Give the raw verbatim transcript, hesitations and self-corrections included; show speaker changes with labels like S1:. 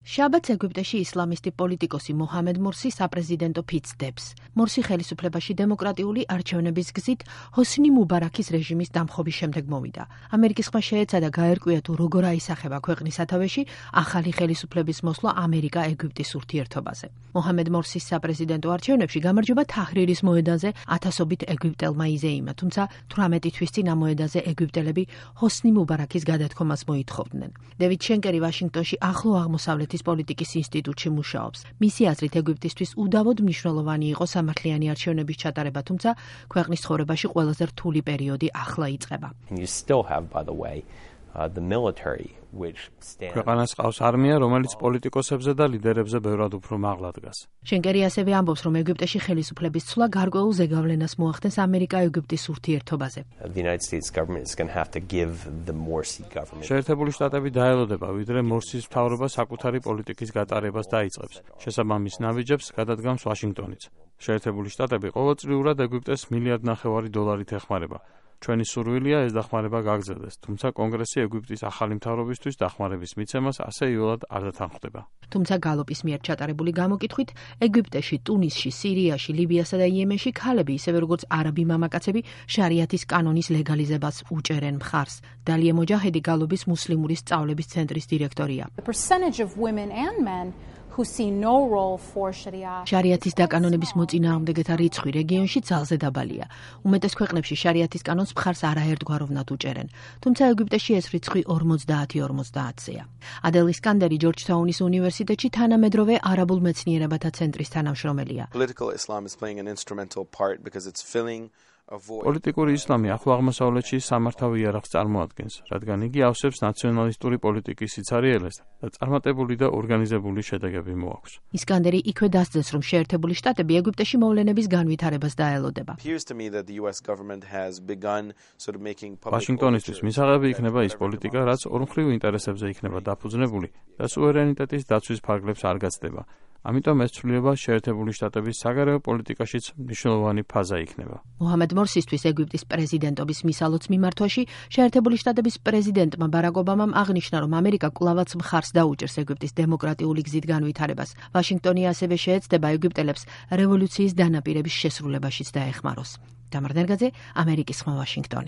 S1: შაბათს ეგვიპტეში ისლამისტი პოლიტიკოსი მოჰამედ მორსი საპრეზიდენტო ფიცს დებს. მორსი ხელისუფლებაში დემოკრატიული არჩევნების გზით ჰოსნი მუბარაქის რეჟიმის დამხობის შემდეგ მოვიდა. ამერიკის ხმა შეეცადა გაერკვია თუ როგორ აისახება ქვეყნის სათავეში ახალი ხელისუფლების მოსვლა ამერიკა-ეგვიპტის ურთიერთობაზე. მოჰამედ მორსის საპრეზიდენტო არჩევნებში გამარჯვება თაჰრირის მოედანზე ათასობით ეგვიპტელმა იზეიმა, თუმცა თვრამეტი თვის წინ ამ მოედანზე ეგვიპტელები ჰოსნი მუბარაქის გადადგომას მოითხოვდნენ. დევიდ შენკერი ვაშინგტონში ახლო აღმოსავლეთის პოლიტიკის ინსტიტუტში მუშაობს. მისი აზრით ეგვიპტისთვის უდავოდ მნიშვნელოვანი იყო სამართლიანი არჩევნების ჩატარება, თუმცა ქვეყნის ცხოვრებაში ყველაზე რთული პერიოდი ახლა იწყება.
S2: ქვეყანას ყავს არმია, რომელიც პოლიტიკოსებზე და ლიდერებზე ბევრად უფრო მაღლა დგას.
S1: შენკერი ასევე ამბობს, რომ ეგვიპტეში ხელისუფლების ცვლა გარკვეულ ზეგავლენას მოახდენს ამერიკა-ეგვიპტის ურთიერთობაზე.
S2: შეერთებული შტატები დაელოდება, ვიდრე მორსის მთავრობა საკუთარი პოლიტიკის გატარებას დაიწყებს. შესაბამის ნაბიჯებს გადადგამს ვაშინგტონიც. შეერთებული შტატები ყოველწლიურად ეგვიპტეს მილიარდ ნახევარი დოლარით ეხმარება. ჩვენი სურვილია ეს დახმარება გაგრძელდეს, თუმცა კონგრესი ეგვიპტის ახალი მთავრობისთვის დახმარების მიცემას ასე იოლად არ დათანხმდება.
S1: თუმცა გალოპის მიერ ჩატარებული გამოკითხვით, ეგვიპტეში, ტუნისში, სირიაში, ლიბიასა და იემენში ქალები, ისევე როგორც არაბი მამაკაცები, შარიათის კანონის ლეგალიზებას უჭერენ მხარს. დალია მოჯაჰედი გალობის მუსლიმური სწავლების ცენტრის დირექტორია. შარიათის დაკანონების მოწინააღმდეგეთა რიცხვი რეგიონში ძალზე დაბალია. უმეტეს ქვეყნებში შარიათის კანონს მხარს არაერთგვაროვნად უჭერენ, თუმცა ეგვიპტეში ეს რიცხვი ორმოცდაათი ორმოცდაათზეა. ადელ ისკანდერი ჯორჯთაუნის უნივერსიტეტში თანამედროვე არაბულ მეცნიერებათა ცენტრის თანამშრომელია.
S2: პოლიტიკური ისლამი ახლო აღმოსავლეთში სამართავ იარაღს წარმოადგენს, რადგან იგი ავსებს ნაციონალისტური პოლიტიკის სიცარიელეს და წარმატებული და ორგანიზებული შედეგები მოაქვს.
S1: ისკანდერი იქვე დასძენს, რომ შეერთებული შტატები ეგვიპტეში მოვლენების განვითარებას დაელოდება.
S2: ვაშინგტონისთვის მისაღები იქნება ის პოლიტიკა, რაც ორმხრივ ინტერესებზე იქნება დაფუძნებული და სუვერენიტეტის დაცვის ფარგლებს არ გაცდება. ამიტომ ეს ცვლილება შეერთებული შტატების საგარეო პოლიტიკაშიც მნიშვნელოვანი ფაზა იქნება.
S1: მოჰამედ მორსისთვის ეგვიპტის პრეზიდენტობის მისალოც მიმართვაში შეერთებული შტატების პრეზიდენტმა ბარაკ ობამამ აღნიშნა, რომ ამერიკა კვლავაც მხარს დაუჭერს ეგვიპტის დემოკრატიული გზით განვითარებას. ვაშინგტონი ასევე შეეცდება ეგვიპტელებს რევოლუციის დანაპირების შესრულებაშიც დაეხმაროს. დამარ ნერგაძე, ამერიკის ხმა, ვაშინგტონი.